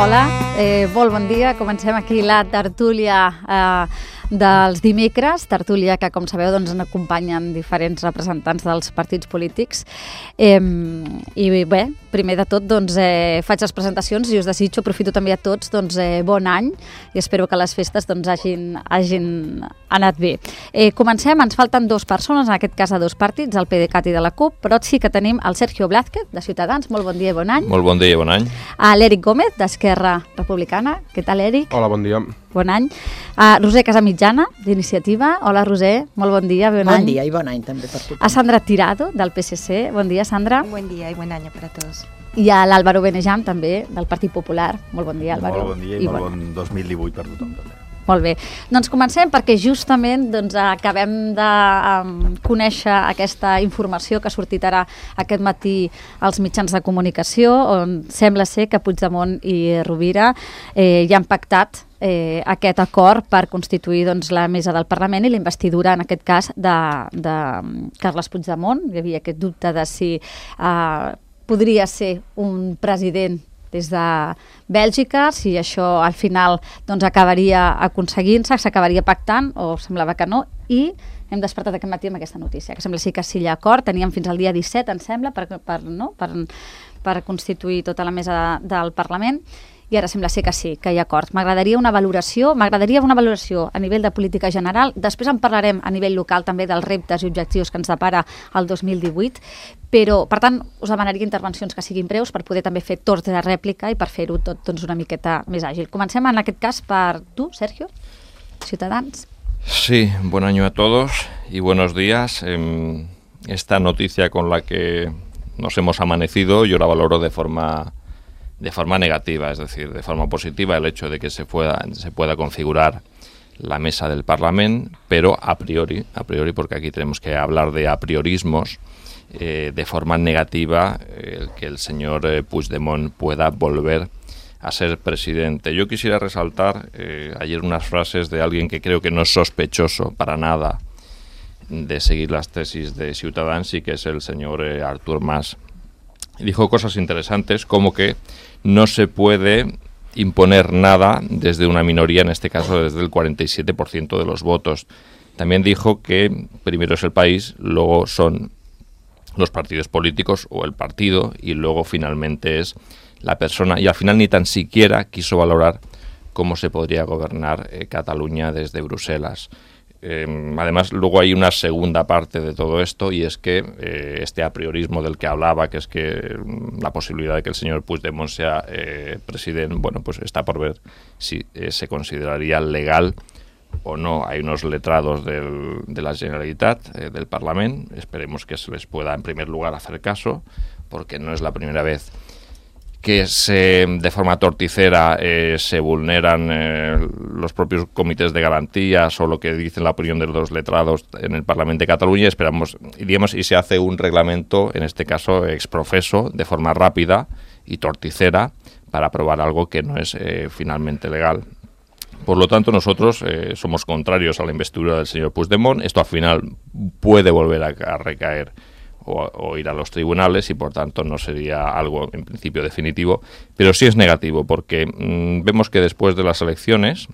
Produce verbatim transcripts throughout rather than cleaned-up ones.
Hola, eh, molt bon dia. Comencem aquí la tertúlia eh, dels dimecres, tertúlia que, com sabeu, doncs, en acompanyen diferents representants dels partits polítics. Eh, I bé, primer de tot, doncs, eh, faig les presentacions i us desitjo, aprofito també a tots, doncs, eh, bon any i espero que les festes doncs, hagin, hagin anat bé. Eh, comencem, ens falten dues persones, en aquest cas a dos partits, el PDeCAT i de la CUP, però sí que tenim el Sergio Blázquez, de Ciutadans. Molt bon dia i bon any. Molt bon dia i bon any. A l'Eric Gómez, d'Esquerra Republicana. Què tal, Eric? Hola, bon dia. Bon any. A Roser Casamitjana, d'Iniciativa. Hola, Roser. Molt bon dia, bon, bon any. Bon dia i bon any també per tothom. A Sandra Tirado, del P S C. Bon dia, Sandra. Buen día y buen año para todos. I a l'Álvaro Benejam, també, del Partit Popular. Molt bon dia, Álvaro. Molt bon dia i, I molt bon, bon dos mil divuit per tothom, també. Molt bé. Doncs comencem perquè justament doncs, acabem de um, conèixer aquesta informació que ha sortit ara aquest matí als mitjans de comunicació, on sembla ser que Puigdemont i Rovira eh, ja han pactat eh, aquest acord per constituir doncs, la mesa del Parlament i la investidura, en aquest cas, de, de Carles Puigdemont. Hi havia aquest dubte de si eh, podria ser un president des de Bèlgica, si això al final doncs, acabaria aconseguint-se, s'acabaria pactant, o semblava que no, i hem despertat aquest matí amb aquesta notícia, que sembla sí que sí hi ha acord, teníem fins al dia disset, em sembla, per, per, no? per, per constituir tota la mesa de, del Parlament, i ara sembla ser que sí, que hi ha acord. M'agradaria una valoració, m'agradaria una valoració a nivell de política general, després en parlarem a nivell local també dels reptes i objectius que ens depara el dos mil divuit, però, per tant, us demanaria intervencions que siguin breus per poder també fer torns de rèplica i per fer-ho tot doncs, una miqueta més àgil. Comencem en aquest cas per tu, Sergio, Ciutadans. Sí, buen año a todos y buenos días. Eh, esta noticia con la que nos hemos amanecido yo la valoro de forma... de forma negativa, es decir, de forma positiva el hecho de que se pueda, se pueda configurar la mesa del Parlamento, pero a priori, a priori porque aquí tenemos que hablar de a priorismos, eh, de forma negativa eh, que el señor eh, Puigdemont pueda volver a ser presidente. Yo quisiera resaltar eh, ayer unas frases de alguien que creo que no es sospechoso para nada de seguir las tesis de Ciutadans y que es el señor eh, Artur Mas. Dijo cosas interesantes como que no se puede imponer nada desde una minoría, en este caso desde el cuarenta y siete por ciento de los votos. También dijo que primero es el país, luego son los partidos políticos o el partido y luego finalmente es la persona. Y al final ni tan siquiera quiso valorar cómo se podría gobernar eh, Cataluña desde Bruselas. Eh, además, luego hay una segunda parte de todo esto y es que eh, este apriorismo del que hablaba, que es que la posibilidad de que el señor Puigdemont sea eh, presidente, bueno, pues está por ver si eh, se consideraría legal o no. Hay unos letrados del, de la Generalitat, eh, del Parlamento, esperemos que se les pueda en primer lugar hacer caso, porque no es la primera vez que se, de forma torticera eh, se vulneran eh, los propios comités de garantías o lo que dice la opinión de los letrados en el Parlamento de Cataluña. Esperamos, y digamos, y se hace un reglamento, en este caso exprofeso, de forma rápida y torticera, para aprobar algo que no es eh, finalmente legal. Por lo tanto, nosotros eh, somos contrarios a la investidura del señor Puigdemont. Esto al final puede volver a, a recaer O, o ir a los tribunales y por tanto no sería algo en principio definitivo, pero sí es negativo porque mmm, vemos que después de las elecciones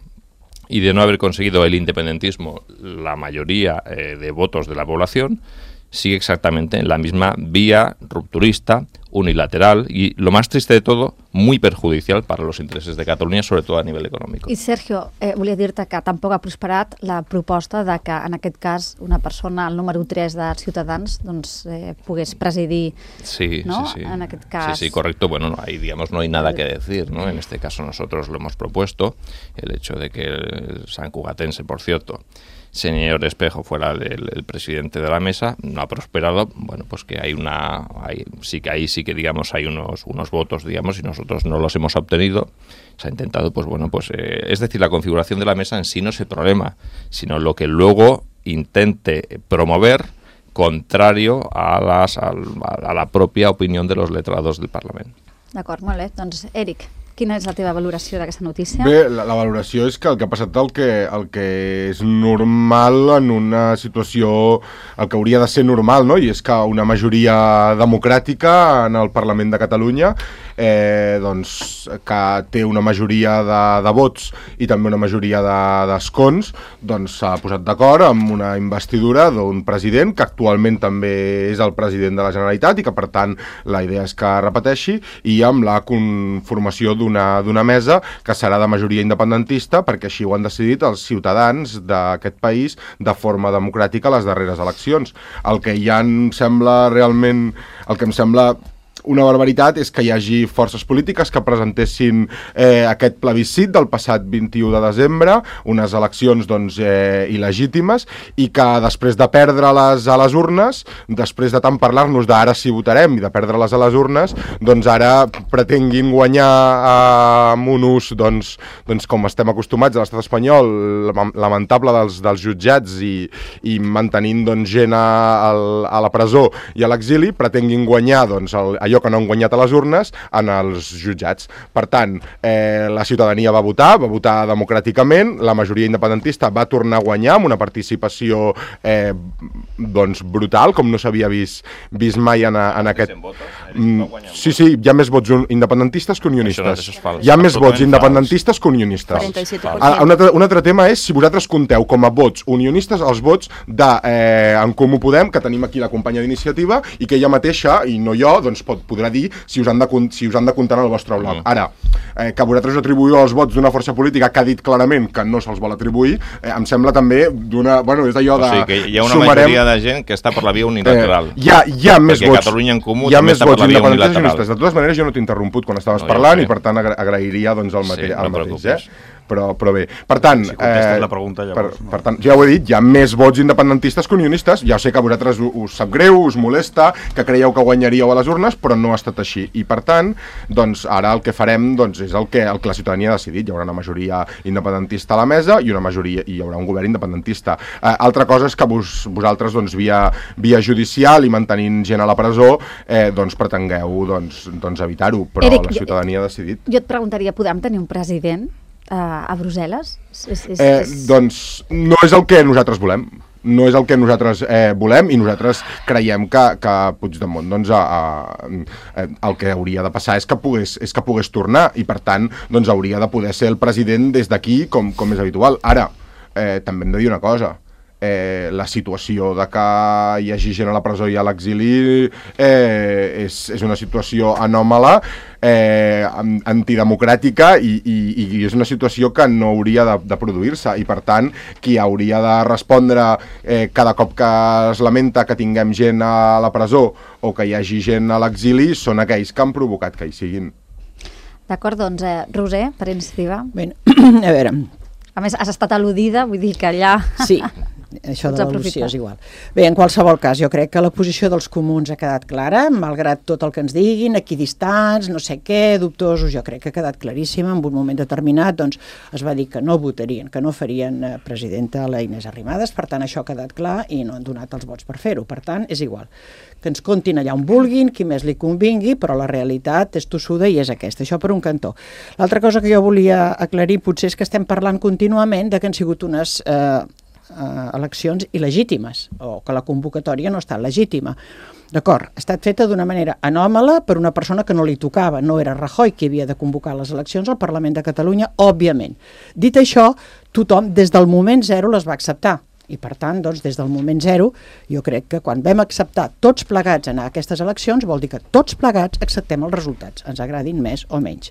y de no haber conseguido el independentismo la mayoría eh, de votos de la población, sigue exactamente en la misma vía rupturista, unilateral y, lo más triste de todo, muy perjudicial para los intereses de Catalunya, sobre todo a nivell econòmic. I Sergio, eh, volia dir-te que tampoc ha prosperat la proposta de que en aquest cas una persona, el número tres de Ciutadans, doncs eh, pogués presidir, sí, ¿no? Sí, sí. En aquest cas. Sí, sí, correcto. Bueno, no, ahí digamos no hay nada que decir, ¿no? En este caso nosotros lo hemos propuesto, el hecho de que el sancugatense, por cierto, señor Espejo fuera el, el presidente de la mesa, no ha prosperado. Bueno, pues que hay una, hay, sí que ahí sí que digamos hay unos unos votos, digamos, y nosotros no los hemos obtenido. Se ha intentado, pues bueno, pues eh, es decir, la configuración de la mesa en sí no es el problema, sino lo que luego intente promover contrario a las a, a la propia opinión de los letrados del Parlamento. D'acord, molt bé. Doncs, Eric, quina és la teva valoració d'aquesta notícia? Bé, la, la valoració és que el que ha passat el que, el que és normal en una situació, el que hauria de ser normal, no? I és que una majoria democràtica en el Parlament de Catalunya eh, doncs, que té una majoria de, de vots i també una majoria d'escons, de, doncs s'ha posat d'acord amb una investidura d'un president que actualment també és el president de la Generalitat i que per tant la idea és que repeteixi, i amb la conformació d'una d'una mesa que serà de majoria independentista, perquè així ho han decidit els ciutadans d'aquest país de forma democràtica a les darreres eleccions. El que ja em sembla realment, el que em sembla una barbaritat és que hi hagi forces polítiques que presentessin eh, aquest plebiscit del passat vint-i-u de desembre, unes eleccions doncs, eh, il·legítimes, i que després de perdre-les a les urnes, després de tant parlar-nos d'ara sí votarem i de perdre-les a les urnes, doncs ara pretenguin guanyar eh, amb un ús, doncs, doncs, com estem acostumats a l'estat espanyol, lamentable dels, dels jutjats i, i mantenint doncs, gent a, a la presó i a l'exili, pretenguin guanyar doncs, el, allò que no han guanyat a les urnes en els jutjats. Per tant, eh, la ciutadania va votar, va votar democràticament, la majoria independentista va tornar a guanyar amb una participació eh, doncs brutal, com no s'havia vist, vist mai en, en aquest... Mm, sí, sí, hi ha més vots independentistes que unionistes. Hi ha més vots independentistes que unionistes. Un altre, un altre tema és si vosaltres compteu com a vots unionistes els vots de eh, En Comú Podem, que tenim aquí la companya d'iniciativa, i que ella mateixa, i no jo, doncs pot podrà dir si us han de, si us han de comptar en el vostre bloc. Mm. Ara, eh, que vosaltres atribuïu els vots d'una força política que ha dit clarament que no se'ls vol atribuir, eh, em sembla també d'una... Bueno, és d'allò de... O sigui, que hi ha una sumarem... majoria de gent que està per la via unilateral. Eh, hi, ha, hi ha més Perquè vots... Catalunya en Comú hi ha també més està per vots la via unilateral. De totes maneres, jo no t'he interromput quan estaves no, parlant i per tant agra agrairia doncs, el, mate sí, el no mateix. Eh? Però, però bé, per tant, si contestes eh, la pregunta, llavors, per, per tant, ja ho he dit, hi ha més vots independentistes que unionistes, ja sé que a vosaltres us sap greu, us molesta, que creieu que guanyaríeu a les urnes, però no ha estat així, i per tant, doncs ara el que farem doncs, és el que, el que la ciutadania ha decidit, hi haurà una majoria independentista a la mesa i una majoria, i hi haurà un govern independentista. Eh, altra cosa és que vos, vosaltres doncs, via, via judicial i mantenint gent a la presó, eh, doncs pretengueu doncs, doncs evitar-ho, però Eric, la ciutadania ha decidit. Jo et preguntaria, podem tenir un president Uh, a Brussel·les? És, és, eh, és... Doncs no és el que nosaltres volem. No és el que nosaltres eh, volem i nosaltres creiem que, que Puigdemont doncs, a, a, el que hauria de passar és que pogués, és que pogués tornar i per tant doncs, hauria de poder ser el president des d'aquí com, com és habitual. Ara, eh, també hem de dir una cosa. Eh, la situació de que hi hagi gent a la presó i a l'exili eh, és, és una situació anòmala, eh, antidemocràtica i, i, i és una situació que no hauria de, de produir-se i per tant qui hauria de respondre eh, cada cop que es lamenta que tinguem gent a la presó o que hi hagi gent a l'exili són aquells que han provocat que hi siguin. D'acord, doncs, eh, Roser, per iniciativa. Bé, a veure... A més, has estat al·ludida, vull dir que allà... Sí, això de l'al·lusió és igual. Bé, en qualsevol cas, jo crec que la posició dels comuns ha quedat clara, malgrat tot el que ens diguin, equidistants, no sé què, dubtosos, jo crec que ha quedat claríssima. En un moment determinat doncs, es va dir que no votarien, que no farien eh, presidenta a la Inés Arrimadas, per tant això ha quedat clar i no han donat els vots per fer-ho. Per tant, és igual. Que ens comptin allà on vulguin, qui més li convingui, però la realitat és tossuda i és aquesta. Això per un cantó. L'altra cosa que jo volia aclarir potser és que estem parlant contínuament de que han sigut unes eh, eh, eleccions il·legítimes o que la convocatòria no ha estat legítima. D'acord, ha estat feta d'una manera anòmala per una persona que no li tocava. No era Rajoy qui havia de convocar les eleccions al Parlament de Catalunya, òbviament. Dit això, tothom des del moment zero les va acceptar. I per tant, doncs, des del moment zero, jo crec que quan vam acceptar tots plegats anar a aquestes eleccions, vol dir que tots plegats acceptem els resultats, ens agradin més o menys.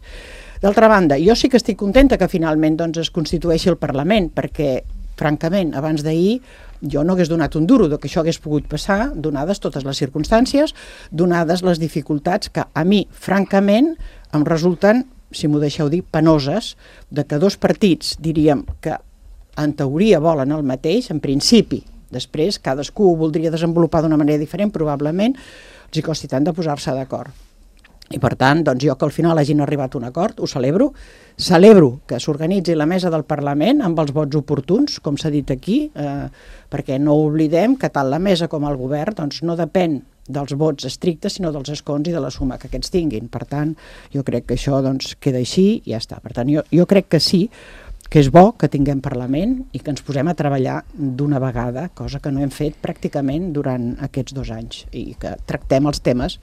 D'altra banda, jo sí que estic contenta que finalment doncs, es constitueixi el Parlament, perquè, francament, abans d'ahir jo no hagués donat un duro de que això hagués pogut passar, donades totes les circumstàncies, donades les dificultats que a mi, francament, em resulten, si m'ho deixeu dir, penoses, de que dos partits, diríem que en teoria volen el mateix, en principi. Després, cadascú ho voldria desenvolupar d'una manera diferent, probablement els hi costi tant de posar-se d'acord. I per tant, doncs jo que al final hagin arribat a un acord, ho celebro. Celebro que s'organitzi la mesa del Parlament amb els vots oportuns, com s'ha dit aquí, eh, perquè no oblidem que tant la mesa com el govern doncs, no depèn dels vots estrictes, sinó dels escons i de la suma que aquests tinguin. Per tant, jo crec que això doncs, queda així i ja està. Per tant, jo, jo crec que sí, que és bo que tinguem Parlament i que ens posem a treballar d'una vegada, cosa que no hem fet pràcticament durant aquests dos anys, i que tractem els temes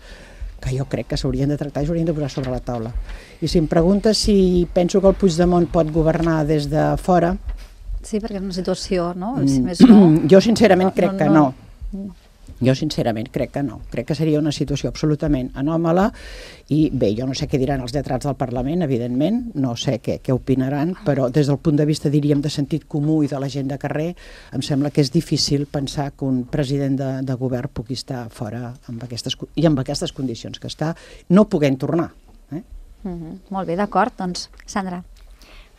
que jo crec que s'haurien de tractar i s'haurien de posar sobre la taula. I si em preguntes si penso que el Puigdemont pot governar des de fora... Sí, perquè és una situació, no? Si Mm, més no... Jo sincerament No, crec no, que no. no. Jo sincerament crec que no. Crec que seria una situació absolutament anòmala i bé, jo no sé què diran els lletrats del Parlament, evidentment, no sé què, què opinaran, però des del punt de vista, diríem, de sentit comú i de la gent de carrer, em sembla que és difícil pensar que un president de, de govern pugui estar fora amb aquestes, i amb aquestes condicions que està, no puguent tornar. Eh? Mm-hmm. Molt bé, d'acord. Doncs, Sandra.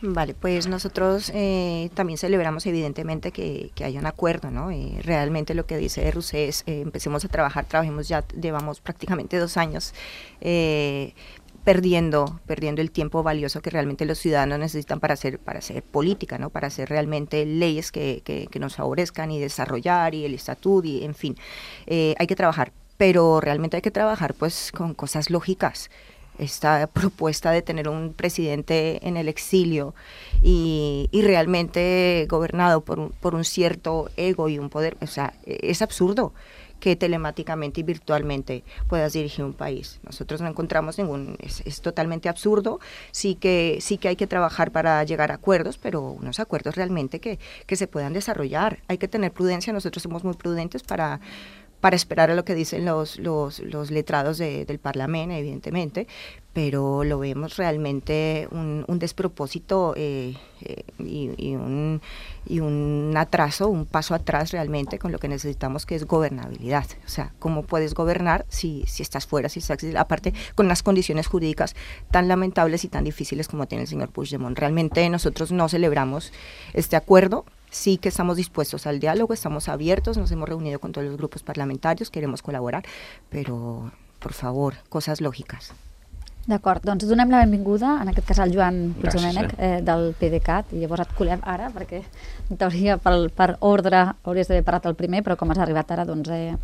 Vale, pues nosotros eh, también celebramos evidentemente que, que haya un acuerdo, ¿no? Eh, realmente lo que dice Rousseff es, eh, empecemos a trabajar, trabajemos ya, llevamos prácticamente dos años eh, perdiendo, perdiendo el tiempo valioso que realmente los ciudadanos necesitan para hacer, para hacer política, ¿no? Para hacer realmente leyes que, que, que nos favorezcan y desarrollar y el estatuto y en fin, eh, hay que trabajar, pero realmente hay que trabajar pues con cosas lógicas. Esta propuesta de tener un presidente en el exilio y, y realmente gobernado por un, por un cierto ego y un poder, o sea, es absurdo que telemáticamente y virtualmente puedas dirigir un país. Nosotros no encontramos ningún, es, es totalmente absurdo, sí que, sí que hay que trabajar para llegar a acuerdos, pero unos acuerdos realmente que, que se puedan desarrollar. Hay que tener prudencia, nosotros somos muy prudentes para... para esperar a lo que dicen los, los, los letrados de, del Parlamento, evidentemente, pero lo vemos realmente un, un despropósito eh, eh, y, y, un, y un atraso, un paso atrás realmente con lo que necesitamos, que es gobernabilidad. O sea, ¿cómo puedes gobernar si, si estás fuera, si estás, aparte con unas condiciones jurídicas tan lamentables y tan difíciles como tiene el señor Puigdemont? Realmente nosotros no celebramos este acuerdo. Sí que estamos dispuestos al diálogo, estamos abiertos, nos hemos reunido con todos los grupos parlamentarios, queremos colaborar, però, por favor, coses lògiques. D'acord, doncs donem la benvinguda, en aquest cas al Joan Puigdomènech, Gràcies, eh, del PDeCAT, i llavors et colem ara, perquè en teoria per, per ordre hauries d'haver parat el primer, però com has arribat ara, doncs eh,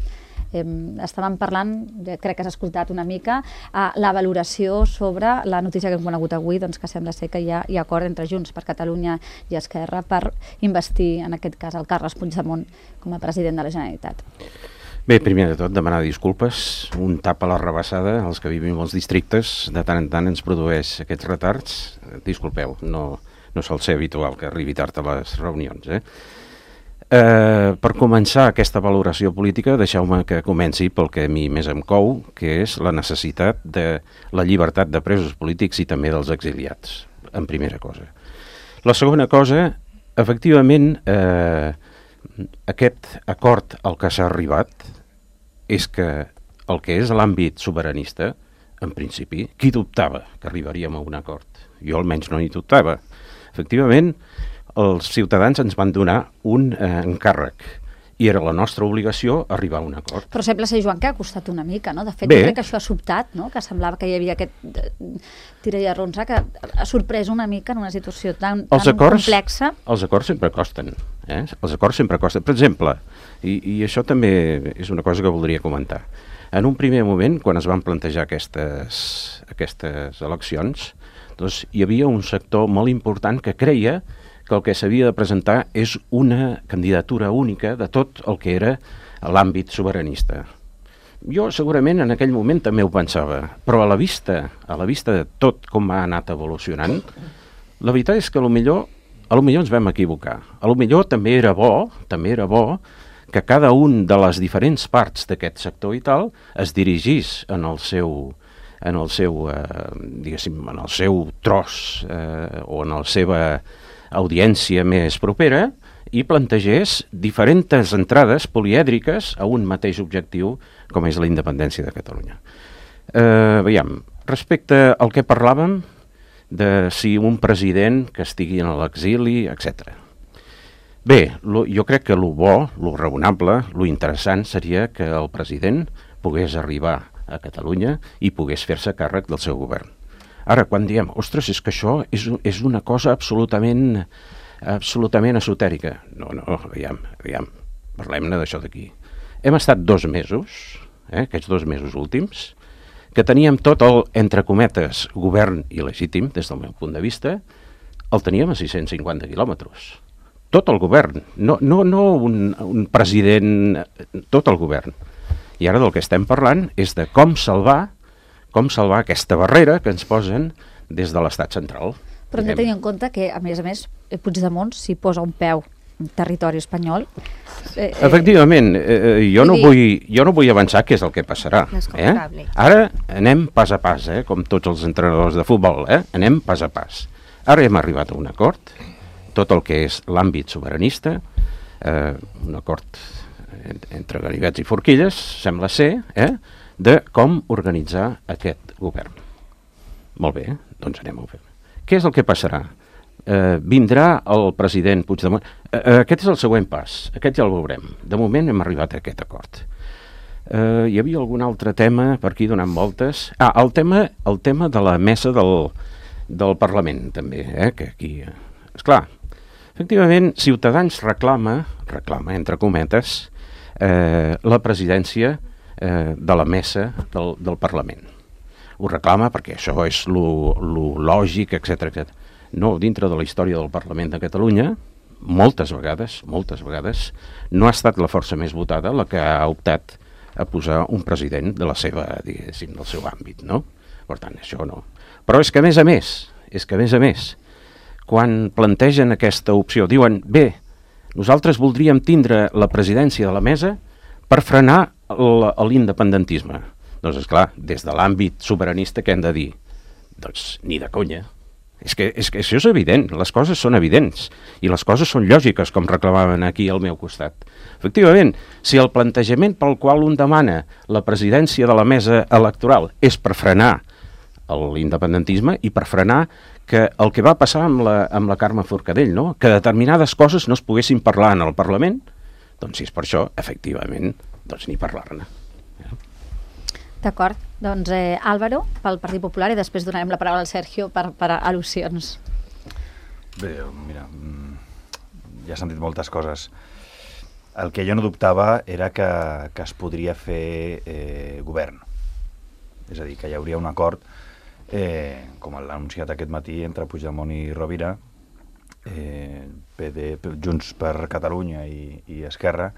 eh, estàvem parlant, crec que has escoltat una mica, eh, la valoració sobre la notícia que hem conegut avui, doncs que sembla ser que hi ha, hi ha acord entre Junts per Catalunya i Esquerra per investir, en aquest cas, el Carles Puigdemont com a president de la Generalitat. Bé, primer de tot, demanar disculpes. Un tap a la rebassada, els que vivim als districtes, de tant en tant ens produeix aquests retards. Disculpeu, no, no sol ser habitual que arribi tard a les reunions. Eh? Eh, per començar aquesta valoració política, deixeu-me que comenci pel que a mi més em cou, que és la necessitat de la llibertat de presos polítics i també dels exiliats, en primera cosa. La segona cosa, efectivament, eh, aquest acord al que s'ha arribat és que el que és l'àmbit sobiranista, en principi, qui dubtava que arribaríem a un acord? Jo almenys no hi dubtava. Efectivament, els ciutadans ens van donar un eh, encàrrec i era la nostra obligació arribar a un acord. Però sembla ser, Joan, que ha costat una mica, no? De fet, Bé. jo crec que això ha sobtat, no? Que semblava que hi havia aquest eh, tira i arronsa, que ha sorprès una mica en una situació tan, tan Els acords, complexa. Els acords sempre costen. Eh? Els acords sempre costen. Per exemple, i, i això també és una cosa que voldria comentar, en un primer moment, quan es van plantejar aquestes, aquestes eleccions, doncs hi havia un sector molt important que creia que el que s'havia de presentar és una candidatura única de tot el que era l'àmbit sobiranista. Jo segurament en aquell moment també ho pensava, però a la vista, a la vista de tot com ha anat evolucionant, la veritat és que a lo millor, a lo millor ens vam equivocar. A lo millor també era bo, també era bo que cada un de les diferents parts d'aquest sector i tal es dirigís en el seu en el seu, eh, diguéssim, en el seu tros eh, o en la seva audiència més propera i plantegés diferents entrades polièdriques a un mateix objectiu com és la independència de Catalunya. Eh, veiem, respecte al que parlàvem de si un president que estigui en l'exili, etcètera. Bé, lo, jo crec que lo bo, lo raonable, lo interessant seria que el president pogués arribar a Catalunya i pogués fer-se càrrec del seu govern. Ara, quan diem, ostres, és que això és, és una cosa absolutament, absolutament esotèrica. No, no, aviam, aviam, parlem-ne d'això d'aquí. Hem estat dos mesos, eh, aquests dos mesos últims, que teníem tot el, entre cometes, govern il·legítim, des del meu punt de vista, el teníem a sis-cents cinquanta quilòmetres. Tot el govern, no, no, no un, un president, tot el govern. I ara del que estem parlant és de com salvar com salvar aquesta barrera que ens posen des de l'estat central. Però hem de tenir en compte que, a més a més, Puigdemont s'hi posa un peu en territori espanyol. Eh, Efectivament, eh, jo, no vull, jo no vull avançar què és el que passarà. Eh? Ara anem pas a pas, eh? Com tots els entrenadors de futbol, eh? Anem pas a pas. Ara hem arribat a un acord, tot el que és l'àmbit sobiranista, eh, un acord entre ganivets i forquilles, sembla ser, eh? de com organitzar aquest govern. Molt bé, doncs anem a fer. Què és el que passarà? Eh, vindrà el president Puigdemont. Eh, aquest és el següent pas, aquest ja el veurem. De moment hem arribat a aquest acord. Eh, hi havia algun altre tema per aquí donant voltes? Ah, el tema, el tema de la mesa del, del Parlament, també, eh, que aquí... Esclar, efectivament, Ciutadans reclama, reclama, entre cometes, eh, la presidència eh, de la mesa del, del Parlament. Ho reclama perquè això és lo, lo lògic, etcètera, etcètera. No, dintre de la història del Parlament de Catalunya, moltes vegades, moltes vegades, no ha estat la força més votada la que ha optat a posar un president de la seva, diguéssim, del seu àmbit, no? Per tant, això no. Però és que, a més a més, és que, a més a més, quan plantegen aquesta opció, diuen, bé, nosaltres voldríem tindre la presidència de la mesa per frenar l'independentisme. Doncs, esclar, des de l'àmbit sobiranista, què hem de dir? Doncs ni de conya. És que, és que això és evident, les coses són evidents i les coses són lògiques, com reclamaven aquí al meu costat. Efectivament, si el plantejament pel qual un demana la presidència de la mesa electoral és per frenar l'independentisme i per frenar que el que va passar amb la, amb la Carme Forcadell, no? Que determinades coses no es poguessin parlar en el Parlament, doncs si és per això, efectivament, doncs ni parlar-ne. D'acord. Doncs eh, Álvaro, pel Partit Popular, i després donarem la paraula al Sergio per, per al·lusions. Bé, mira, ja s'han dit moltes coses. El que jo no dubtava era que, que es podria fer eh, govern. És a dir, que hi hauria un acord, eh, com l'ha anunciat aquest matí, entre Puigdemont i Rovira, eh, P D, Junts per Catalunya i, i Esquerra,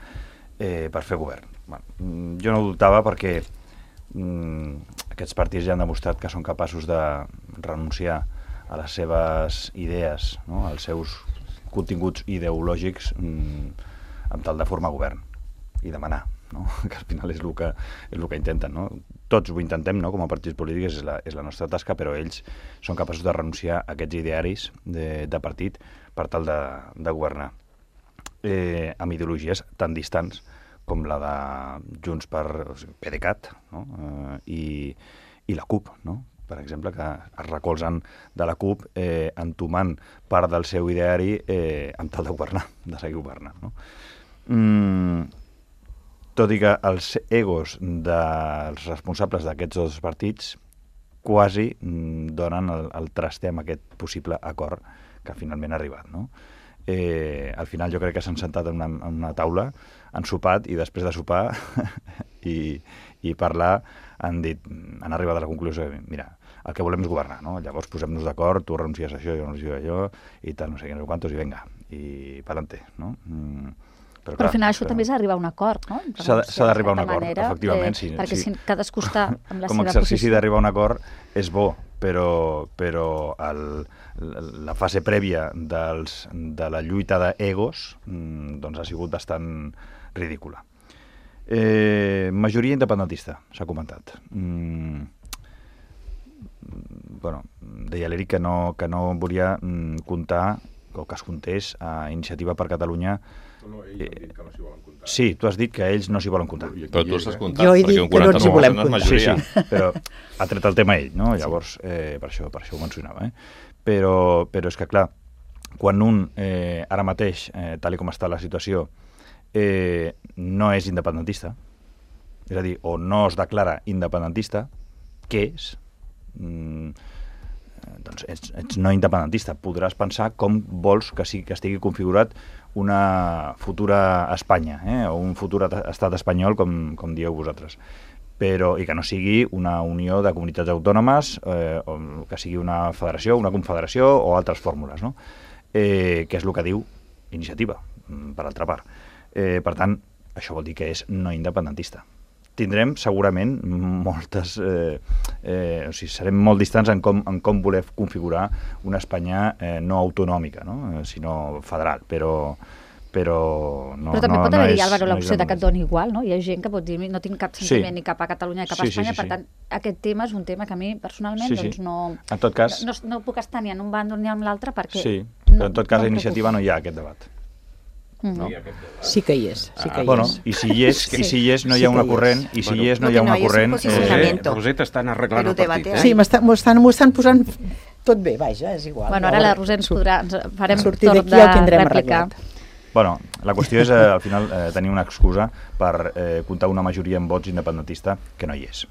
eh, per fer govern. Bueno, jo no dubtava perquè aquests partits ja han demostrat que són capaços de renunciar a les seves idees, no? Als seus continguts ideològics mm, amb tal de formar govern i demanar, no? Que al final és el que, és el que intenten, no? Tots ho intentem, no? Com a partits polítics és la, és la nostra tasca, però ells són capaços de renunciar a aquests idearis de, de partit per tal de, de governar eh, amb ideologies tan distants com la de Junts per PDeCAT, no? eh, i, i la CUP, no? Per exemple, que es recolzen de la CUP eh, entomant part del seu ideari eh, amb tal de governar, de seguir governant. No? Mm, tot i que els egos dels responsables d'aquests dos partits quasi mm, donen el, el traste amb aquest possible acord que finalment ha arribat, no? Eh, al final jo crec que s'han sentat en una, en una taula, han sopat i després de sopar i, i parlar han dit, han arribat a la conclusió que, mira, el que volem és governar, no? Llavors posem-nos d'acord, tu renuncies a això, jo renuncio a allò i tal, no sé què, no sé quantos, i venga, i pa'lante, no? Mm, però, però al final això també és arribar a un acord, no? S'ha d'arribar a un acord, manera, efectivament. Eh, sí, perquè sí. si cadascú està amb la com seva exercici posició. d'arribar a un acord és bo, però, però el, la fase prèvia dels, de la lluita d'egos doncs ha sigut bastant ridícula. Eh, majoria independentista, s'ha comentat. Mm, bueno, deia l'Eric que no, que no volia mm, comptar, o que es comptés a Iniciativa per Catalunya. No, ells han dit que no s'hi volen comptar. Sí, tu has dit que ells no s'hi volen comptar. Però tu estàs comptant, jo he dit que no ens hi volem comptar. Sí, sí, però ha tret el tema ell, no? Llavors, eh, per, això, per això ho mencionava. Eh? Però, però és que, clar, quan un, eh, ara mateix, eh, tal com està la situació, eh, no és independentista, és a dir, o no es declara independentista, què és? Mm, doncs ets, ets no independentista. Podràs pensar com vols que, sí, que estigui configurat una futura Espanya, eh? O un futur estat espanyol, com, com dieu vosaltres. Però, i que no sigui una unió de comunitats autònomes, eh, o que sigui una federació, una confederació o altres fórmules, no? Eh, que és el que diu Iniciativa, per altra part. Eh, per tant, això vol dir que és no independentista. tindrem segurament moltes... Eh, eh, o sigui, serem molt distants en com, en com voler configurar una Espanya eh, no autonòmica, no? Eh, sinó federal, però... Però, no, però també no, pot no haver-hi, és, Álvaro, no l'opció de que et doni igual, no? Hi ha gent que pot dir no tinc cap sentiment sí. ni cap a Catalunya ni cap a sí, Espanya, sí, sí, per sí. tant, aquest tema és un tema que a mi personalment sí, sí. doncs no, en tot cas, no, no, no puc estar ni en un bàndol ni en l'altre perquè... Sí, no, però en tot cas no a Iniciativa no hi ha aquest debat. Mm. No? Sí que hi és, sí que Ah, hi bueno, és. i si hi és, i si hi és no hi ha Sí que una hi és. corrent, i si hi és no hi ha Lo que una no hay es un corrent... posicionamiento. Eh, Roseta estan arreglant Però el partit. debatea. Eh? Sí, m'estan, m'ho estan, m'ho estan posant tot bé, vaja, és igual. Bueno, ara la Roser ens podrà... Ens farem sortir torn d'aquí de el tindrem rèplica. arreglat. Bueno, la qüestió és, eh, al final, eh, tenir una excusa per eh, comptar una majoria en vots independentista que no hi és.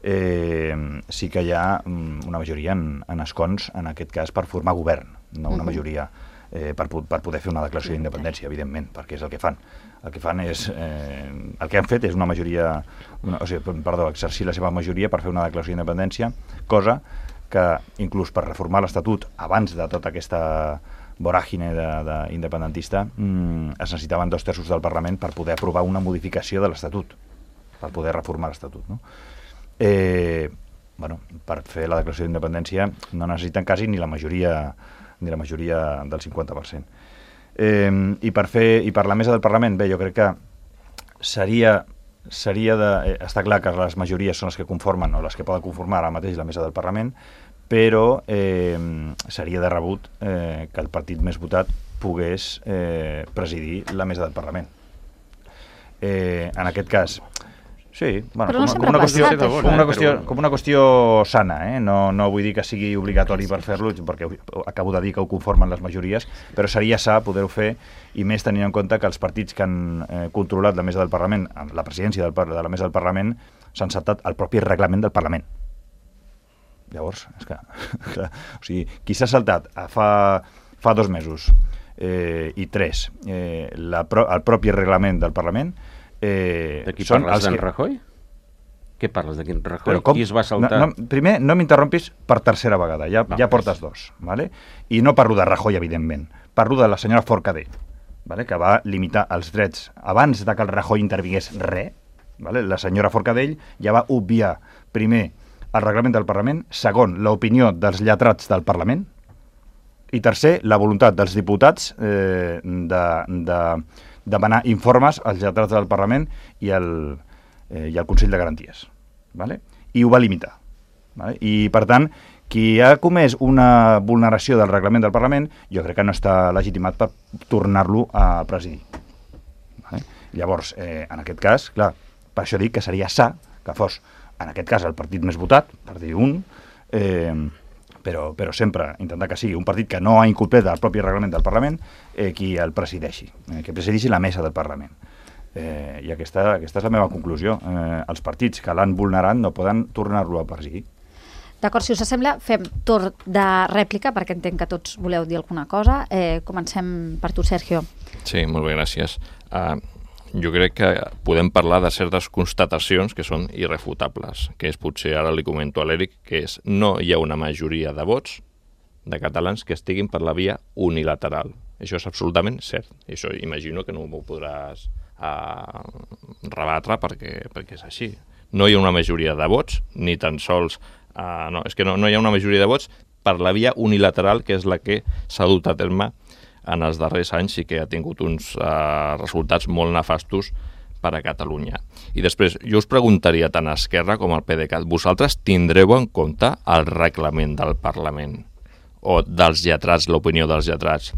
Eh, sí que hi ha mm, una majoria en, en escons, en aquest cas, per formar govern, no una Mhm. majoria eh, per, po- per poder fer una declaració d'independència, evidentment, perquè és el que fan. El que fan és... Eh, el que han fet és una majoria... Una, o sigui, perdó, exercir la seva majoria per fer una declaració d'independència, cosa que, inclús per reformar l'Estatut, abans de tota aquesta voràgine d'independentista, mmm, es necessitaven dos terços del Parlament per poder aprovar una modificació de l'Estatut, per poder reformar l'Estatut. No? Eh, bueno, per fer la declaració d'independència no necessiten quasi ni la majoria ni la majoria del cinquanta per cent. Eh, i, per fer, I per la mesa del Parlament, bé, jo crec que seria, seria de... Eh, està clar que les majories són les que conformen o les que poden conformar ara mateix la mesa del Parlament, però eh, seria de rebut eh, que el partit més votat pogués eh, presidir la mesa del Parlament. Eh, en aquest cas, sí, bueno, Però no com, sempre com, una ha qüestió, passat, com, una qüestió, com una qüestió sana, eh? no, no vull dir que sigui obligatori per fer-lo, perquè acabo de dir que ho conformen les majories, però seria sa poder-ho fer, i més tenint en compte que els partits que han eh, controlat la mesa del Parlament, la presidència del, de la mesa del Parlament, s'han saltat el propi reglament del Parlament. Llavors, és que, que o sigui, qui s'ha saltat a fa, fa dos mesos eh, i tres eh, la pro, el propi reglament del Parlament eh, De qui són parles, els d'en que... Rajoy? Què parles, de quin Rajoy? Però com? Qui es va saltar? No, no, primer, no m'interrompis per tercera vegada, ja, No, ja portes dos, ¿vale? I no parlo de Rajoy, evidentment, parlo de la senyora Forcadell, ¿vale? Que va limitar els drets abans de que el Rajoy intervingués res, ¿vale? La senyora Forcadell ja va obviar, primer, el reglament del Parlament, segon, l'opinió dels lletrats del Parlament, i tercer, la voluntat dels diputats eh, de, de demanar informes als lletrats del Parlament i al, eh, i al Consell de Garanties. ¿Vale? I ho va limitar. ¿Vale? I, per tant, qui ha comès una vulneració del reglament del Parlament, jo crec que no està legitimat per tornar-lo a presidir. ¿Vale? Llavors, eh, en aquest cas, clar, per això dic que seria sa que fos, en aquest cas, el partit més votat, per dir un, eh, però, però sempre intentar que sigui un partit que no ha incomplet el propi reglament del Parlament eh, qui el presideixi, eh, que presideixi la mesa del Parlament. Eh, I aquesta, aquesta és la meva conclusió. Eh, els partits que l'han vulnerat no poden tornar-lo a presidir. D'acord, si us sembla, fem torn de rèplica, perquè entenc que tots voleu dir alguna cosa. Eh, comencem per tu, Sergio. Sí, molt bé, gràcies. Uh, jo crec que podem parlar de certes constatacions que són irrefutables, que és potser, ara li comento a l'Eric, que és no hi ha una majoria de vots de catalans que estiguin per la via unilateral. Això és absolutament cert. I això imagino que no m'ho podràs uh, rebatre perquè, perquè és així. No hi ha una majoria de vots, ni tan sols... Uh, no, és que no, no hi ha una majoria de vots per la via unilateral, que és la que s'ha dut a terme en els darrers anys i que ha tingut uns uh, resultats molt nefastos per a Catalunya. I després, jo us preguntaria tant a Esquerra com al PDeCAT, vosaltres tindreu en compte el reglament del Parlament o dels lletrats, l'opinió dels lletrats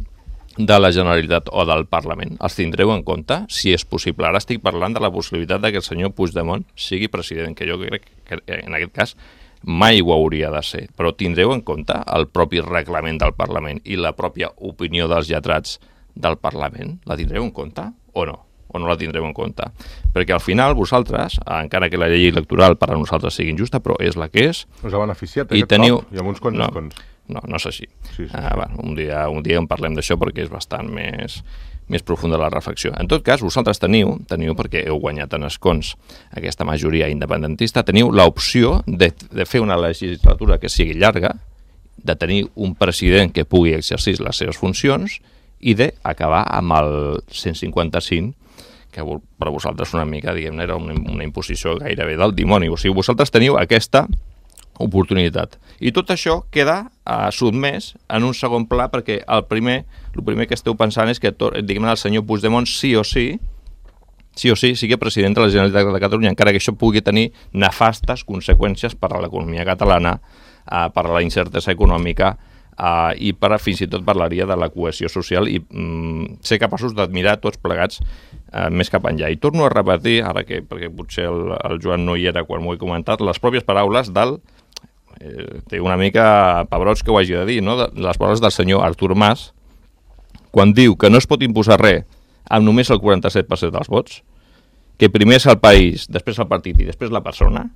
de la Generalitat o del Parlament? Els tindreu en compte, si és possible? Ara estic parlant de la possibilitat de que el senyor Puigdemont sigui president, que jo crec que en aquest cas mai ho hauria de ser, però tindreu en compte el propi reglament del Parlament i la pròpia opinió dels lletrats del Parlament? La tindreu en compte o no? O no la tindreu en compte? Perquè al final vosaltres, encara que la llei electoral per a nosaltres sigui injusta, però és la que és... Us ha beneficiat aquest teniu... cop i amb uns quants no, escons. No, no és així. Sí, sí, sí. Ah, bueno, un, dia, un dia en parlem d'això perquè és bastant més... més profunda la reflexió. En tot cas, vosaltres teniu, teniu perquè heu guanyat en escons aquesta majoria independentista, teniu l'opció de, de fer una legislatura que sigui llarga, de tenir un president que pugui exercir les seves funcions i d'acabar amb el cent cinquanta-cinc que per vosaltres una mica, diguem-ne, era una, una imposició gairebé del dimoni. O sigui, vosaltres teniu aquesta oportunitat. I tot això queda uh, sotmès en un segon pla perquè el primer, el primer que esteu pensant és que, diguem-ne, el senyor Puigdemont sí o sí, sí o sí, sigui president de la Generalitat de Catalunya, encara que això pugui tenir nefastes conseqüències per a l'economia catalana, uh, per a la incertesa econòmica, Uh, i per, fins i tot parlaria de la cohesió social i um, ser capaços d'admirar tots plegats uh, més cap enllà. I torno a repetir, ara que perquè potser el, el Joan no hi era quan m'ho he comentat, les pròpies paraules del, eh, té una mica pebrots que ho hagi de dir, no? De, les paraules del senyor Artur Mas, quan diu que no es pot imposar res amb només el quaranta-set per cent dels vots, que primer és el país, després el partit i després la persona.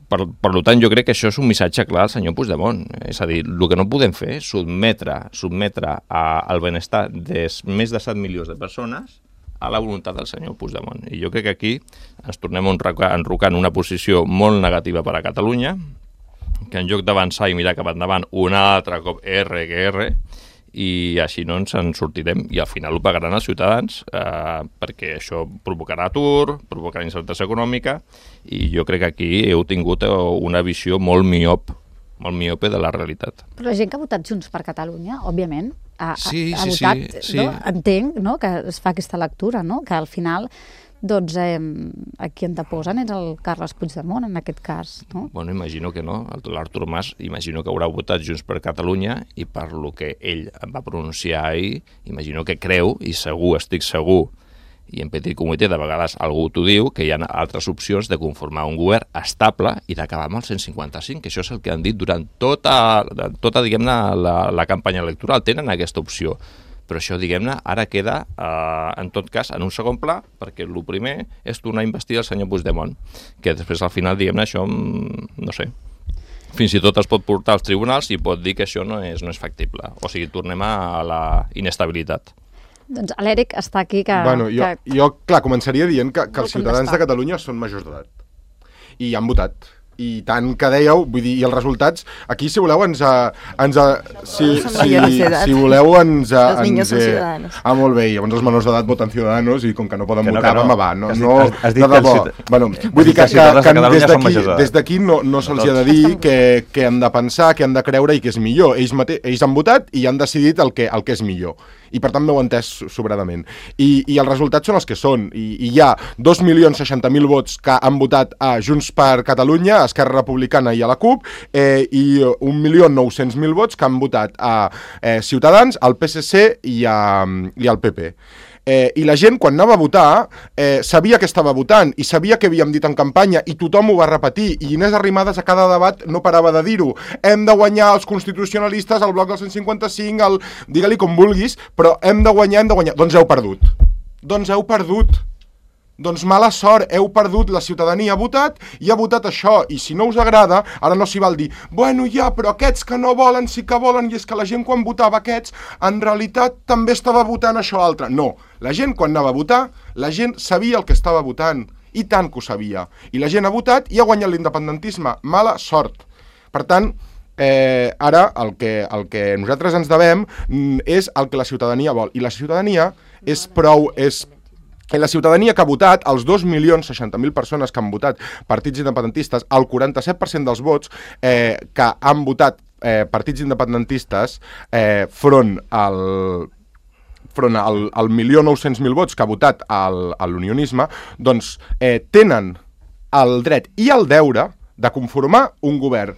Per, per tant, jo crec que això és un missatge clar al senyor Puigdemont. És a dir, el que no podem fer és sotmetre, sotmetre a, al benestar de més de set milions de persones a la voluntat del senyor Puigdemont. I jo crec que aquí ens tornem a enrocar en una posició molt negativa per a Catalunya, que en lloc d'avançar i mirar cap endavant un altre cop R que R, i així no ens en sortirem i al final ho pagaran els ciutadans eh, perquè això provocarà atur, provocarà incertesa econòmica i jo crec que aquí heu tingut una visió molt miop, molt miope de la realitat. Però la gent que ha votat Junts per Catalunya, òbviament, ha, sí, ha sí, votat, sí, no? sí. Entenc, no?, que es fa aquesta lectura, no?, que al final doncs eh, a qui anteposen és el Carles Puigdemont, en aquest cas, no? Bueno, imagino que no. L'Artur Mas, imagino que haurà votat Junts per Catalunya i per lo que ell va pronunciar ahir, imagino que creu, i segur, estic segur, i en petit comitè de vegades algú t'ho diu, que hi ha altres opcions de conformar un govern estable i d'acabar amb el cent cinquanta-cinc, que això és el que han dit durant tota, tota diguem-ne, la, la campanya electoral. Tenen aquesta opció. Però això, diguem-ne, ara queda, eh, en tot cas, en un segon pla, perquè el primer és tornar a investir el senyor Puigdemont, que després, al final, diguem-ne, això, no sé, fins i tot es pot portar als tribunals i pot dir que això no és, no és factible. O sigui, tornem a la inestabilitat. Doncs l'Èric està aquí que... Bueno, jo, que... jo clar, començaria dient que, que els ciutadans contestar. de Catalunya són majors d'edat i han votat. I tant que dèieu, vull dir, i els resultats, aquí si voleu ens... A, ens a, si, si, si voleu ens... A, els niños ens, són eh, ciudadanos. Ah, molt bé, llavors els menors d'edat voten Ciudadanos i com que no poden que no, votar, no. home, va, no, Has dit, no, has, has dit de debò. que els, Bueno, vull dir que, que, que, que des d'aquí des d'aquí no, no se'ls ha de dir que, que han de pensar, que han de creure i que és millor. Ells, mate, ells han votat i han decidit el que, el que és millor. I per tant m'heu entès sobradament. I, i els resultats són els que són. I, i hi ha dos milions seixanta mil vots que han votat a Junts per Catalunya, a Esquerra Republicana i a la CUP, eh, i un milió nou-cents mil vots que han votat a eh, Ciutadans, al P S C i, a, i al P P. Eh, I la gent, quan anava a votar, eh, sabia que estava votant i sabia que havíem dit en campanya i tothom ho va repetir. I Inés Arrimadas a cada debat no parava de dir-ho. Hem de guanyar els constitucionalistes, el bloc del cent cinquanta-cinc, el... digue-li com vulguis, però hem de guanyar, hem de guanyar. Doncs heu perdut. Doncs heu perdut. Doncs mala sort, heu perdut, la ciutadania ha votat i ha votat això, i si no us agrada, ara no s'hi val dir, bueno, ja, però aquests que no volen sí que volen, i és que la gent quan votava aquests, en realitat també estava votant això altre. No, la gent quan anava a votar, la gent sabia el que estava votant, i tant que ho sabia, i la gent ha votat i ha guanyat l'independentisme, mala sort. Per tant, eh, ara el que, el que nosaltres ens devem és el que la ciutadania vol, i la ciutadania és prou... és la ciutadania que ha votat, els dos milions seixanta mil persones que han votat partits independentistes, el quaranta-set per cent dels vots eh, que han votat eh, partits independentistes eh, front al front al, al milió nou-cents mil vots que ha votat al, a l'unionisme, doncs eh, tenen el dret i el deure de conformar un govern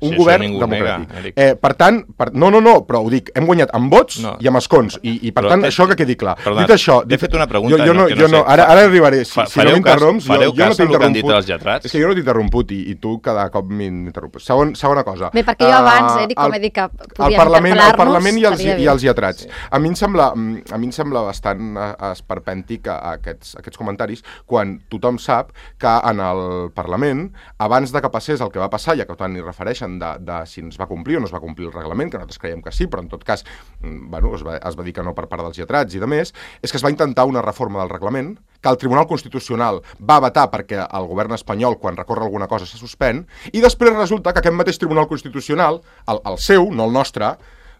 un sí, govern democràtic. Nega, eh, per tant, per, no, no, no, però ho dic, hem guanyat amb vots no. i amb escons, i, i per però tant, això que quedi clar. Perdona, dit això... T'he fet una pregunta, jo, jo no, que jo no, no sé. Ara, ara arribaré, si, Fa, si no m'interromps, jo, jo no t'he interromput. És que jo no t'he interromput i, i tu cada cop m'interrompes. Segon, segona cosa. Bé, perquè jo abans, Eric, com he dit que podíem Parlament, interpel·lar-nos... El Parlament i els, i els lletrats. Sí. A mi em sembla, a mi em sembla bastant esperpèntic aquests, aquests comentaris quan tothom sap que en el Parlament, abans de que passés el que va passar, ja que tant hi refereixen de, de si ens va complir o no es va complir el reglament, que nosaltres creiem que sí, però en tot cas bueno, es, va, es va dir que no per part dels lletrats i de més, és que es va intentar una reforma del reglament, que el Tribunal Constitucional va vetar perquè el govern espanyol, quan recorre alguna cosa, se suspèn, i després resulta que aquest mateix Tribunal Constitucional, el, el seu, no el nostre,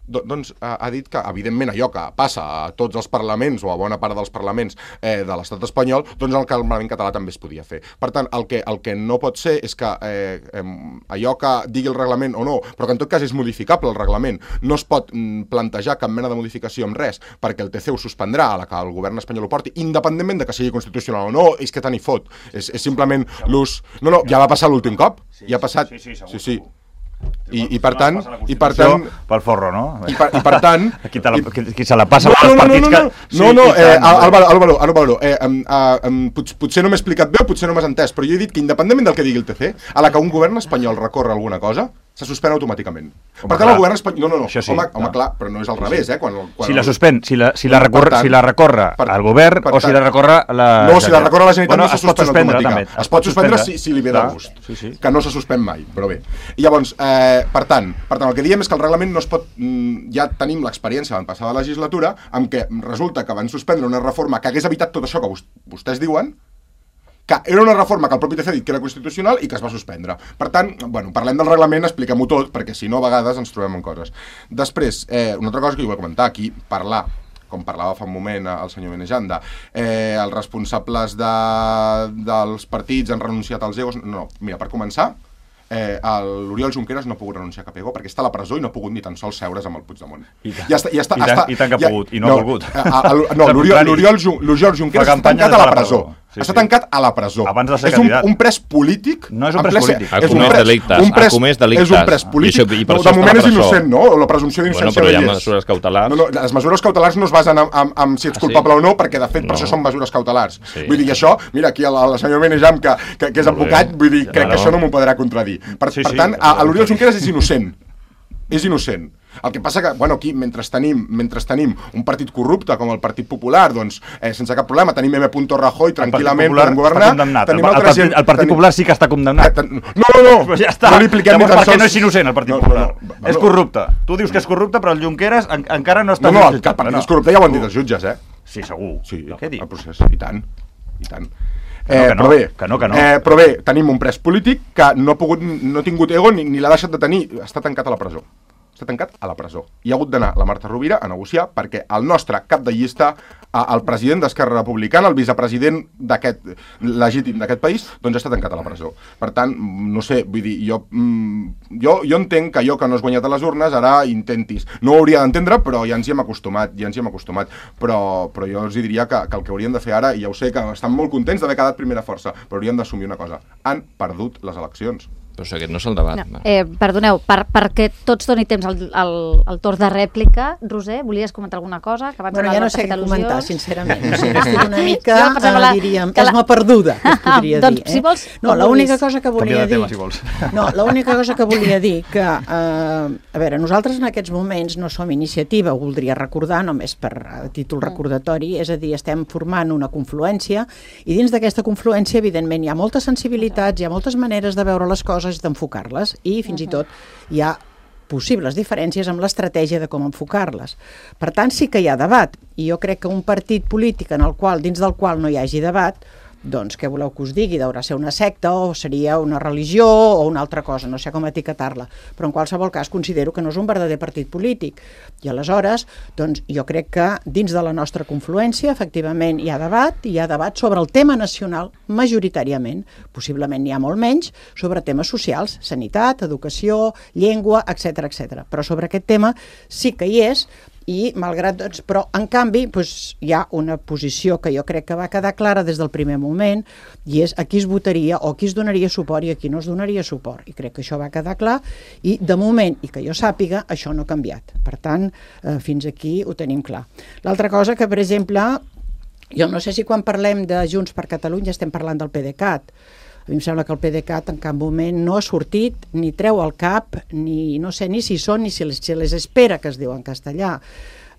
doncs ha dit que, evidentment, allò que passa a tots els parlaments o a bona part dels parlaments eh, de l'estat espanyol, doncs el Parlament català també es podia fer. Per tant, el que, el que no pot ser és que eh, eh, allò que digui el reglament o no, però que en tot cas és modificable el reglament, no es pot mm, plantejar cap mena de modificació amb res, perquè el T C ho suspendrà a la que el govern espanyol ho porti, independentment de que sigui constitucional o no, és que tant hi fot. És, és simplement l'ús... No, no, ja va passar l'últim cop. Ja ha passat... Sí, sí, segur, sí, sí. segur. I, i per tant i per tant pel forro, no? I per, i per tant qui, la, qui, qui se la passa no, als no, partits no, no, que no, sí, no, no eh, Álvaro, Álvaro, Álvaro eh, um, uh, um, pot, potser no m'he explicat bé o potser no m'has entès, però jo he dit que independentment del que digui el T C, a la que un govern espanyol recorre alguna cosa se suspèn automàticament. Home, per tant, el govern espanyol... No, no, no, sí, home, home, clar, però no és al revés, eh? Quan, quan si la suspèn, si la, si la, recorre, tant, si la recorre per, el govern o si la recorre la... No, si la recorre la Generalitat bueno, no se suspèn automàticament. Es, es pot suspendre, suspendre si, si li ve de gust, sí, sí. Que no se suspèn mai, però bé. I llavors, eh, per tant, per tant, el que diem és que el reglament no es pot... Ja tenim l'experiència de la passada legislatura en què resulta que van suspendre una reforma que hagués evitat tot això que vostès diuen, que era una reforma que el propi T C ha dit que era constitucional i que es va suspendre. Per tant, bueno, parlem del reglament, expliquem-ho tot, perquè si no, a vegades ens trobem en coses. Després, eh, una altra cosa que jo vull comentar aquí, parlar, com parlava fa un moment el senyor Benejanda, eh, els responsables de, dels partits han renunciat als egos... No, mira, per començar, eh, l'Oriol Junqueras no ha pogut renunciar a cap ego perquè està a la presó i no ha pogut ni tan sols seure's amb el Puigdemont. I, ta, ja està, ja està, i, tant, està, i tant que ha ja, pogut, i no, no ha volgut. A, a, no, l'Oriol Junqueras està tancat a la presó. Sí, està sí. tancat a la presó. Abans de ser és un, candidat. un pres polític. No és un pres polític. Ha comès delictes. Un pres, ha comès delictes. És un pres polític. I això, i per no, això de moment és presó. innocent, no? La presumpció d'innocència bueno, però hi ha no hi és. mesures cautelars. No, no, les mesures cautelars no es basen en, en, en si ets culpable ah, sí? o no, perquè de fet no. per això són mesures cautelars. Sí. Vull dir que això, mira, aquí el, el senyor Benejam, que, que, que és advocat, vull dir, crec no. que això no m'ho podrà contradir. Per, sí, per tant, sí, l'Oriol Junqueras és innocent. És innocent. El que passa que, bueno, aquí, mentre tenim, mentre tenim un partit corrupte com el Partit Popular, doncs, eh, sense cap problema, tenim M. Rajoy tranquil·lament per governar. Tenim el, el, partit, el Partit Popular sí que està condemnat. No, no, no. Però ja està. No li apliquem ni tan sols... Per què no és innocent el Partit no, Popular? No, no, no, és corrupte. Tu dius que és corrupte, però el Junqueras en, encara no està... No, no, el, el partit és corrupte ja ho han dit els jutges, eh? Sí, segur. Sí, què dius? El procés, i tant, i tant. Que no, que no, però bé, que no, que no. Eh, però bé, tenim un pres polític que no ha pogut, no ha tingut ego ni, ni l'ha deixat de tenir, està tancat a la presó. Està tancat a la presó. I ha hagut d'anar la Marta Rovira a negociar perquè el nostre cap de llista, el president d'Esquerra Republicana, el vicepresident d'aquest legítim d'aquest país, doncs està tancat a la presó. Per tant, no sé, vull dir, jo, jo, jo entenc que allò que no has guanyat a les urnes ara intentis. No ho hauria d'entendre, però ja ens hi hem acostumat, ja ens hi hem acostumat. Però, però jo els diria que, que el que haurien de fer ara, i ja ho sé que estan molt contents d'haver quedat primera força, però haurien d'assumir una cosa. Han perdut les eleccions. Però o sigui, aquest no és el debat. No. Eh, perdoneu, per, perquè tots doni temps al, al, al torn de rèplica, Roser, volies comentar alguna cosa? Que abans bueno, ja no sé què comentar, sincerament. O sigui, estic una mica, sí, la, diríem, que esma perduda, que es podria doncs, dir. Eh? Si vols, no, l'única cosa que volia dir... Tema, si vols. No, l'única cosa que volia dir que, eh, a veure, nosaltres en aquests moments no som iniciativa, ho voldria recordar, només per a títol recordatori, és a dir, estem formant una confluència, i dins d'aquesta confluència, evidentment, hi ha moltes sensibilitats, hi ha moltes maneres de veure les coses, d'enfocar-les, i fins i tot hi ha possibles diferències amb l'estratègia de com enfocar-les. Per tant, sí que hi ha debat, i jo crec que un partit polític en el qual, dins del qual no hi hagi debat, doncs què voleu que us digui? Deurà ser una secta o seria una religió o una altra cosa, no sé com etiquetar-la, però en qualsevol cas considero que no és un verdader partit polític. I aleshores, doncs jo crec que dins de la nostra confluència efectivament hi ha debat, i hi ha debat sobre el tema nacional majoritàriament, possiblement n'hi ha molt menys, sobre temes socials, sanitat, educació, llengua, etcètera, etcètera. Però sobre aquest tema sí que hi és, i malgrat, doncs, però en canvi doncs, hi ha una posició que jo crec que va quedar clara des del primer moment, i és a qui es votaria o a qui es donaria suport i a qui no es donaria suport, i crec que això va quedar clar, i de moment, i que jo sàpiga, això no ha canviat. Per tant, eh, fins aquí ho tenim clar. L'altra cosa que, per exemple, jo no sé si quan parlem de Junts per Catalunya estem parlant del PDeCAT. A mi em sembla que el PDeCAT en cap moment no ha sortit, ni treu el cap, ni no sé ni si són, ni si les, si les espera, que es diu en castellà.